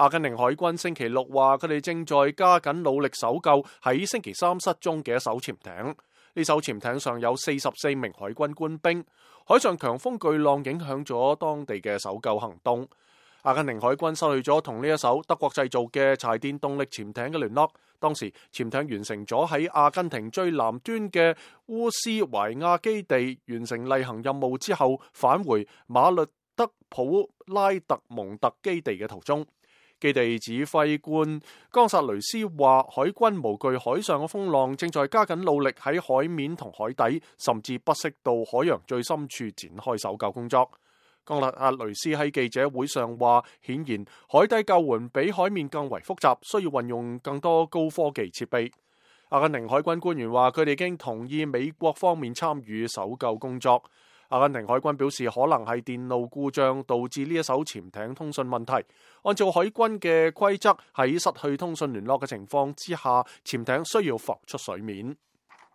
阿根廷海軍星期六話，佢哋正在加緊努力搜救喺星期三失蹤嘅一艘潛艇。呢艘潛艇上有44名海軍官兵。海上強風巨浪影響咗當地嘅搜救行動。阿根廷海軍失去咗同呢一艘德國製造嘅柴電動力潛艇嘅聯絡。當時潛艇完成咗喺阿根廷最南端嘅烏斯懷亞基地完成例行任務之後，返回馬略德普拉特蒙特基地嘅途中。基地指揮官岡薩雷斯話，海軍無懼海上嘅風浪，正在加緊努力喺海面同海底，甚至不惜到海洋最深處展開搜救工作。岡薩雷斯喺記者會上話，顯然海底救援比海面更為複雜，需要運用更多高科技設備。阿根廷海軍官員話，佢哋已經同意美國方面參與搜救工作。阿根廷海軍表示，可能係電路故障導致呢一艘潛艇通訊問題。按照海軍嘅規則，喺失去通訊聯絡嘅情況之下，潛艇需要浮出水面。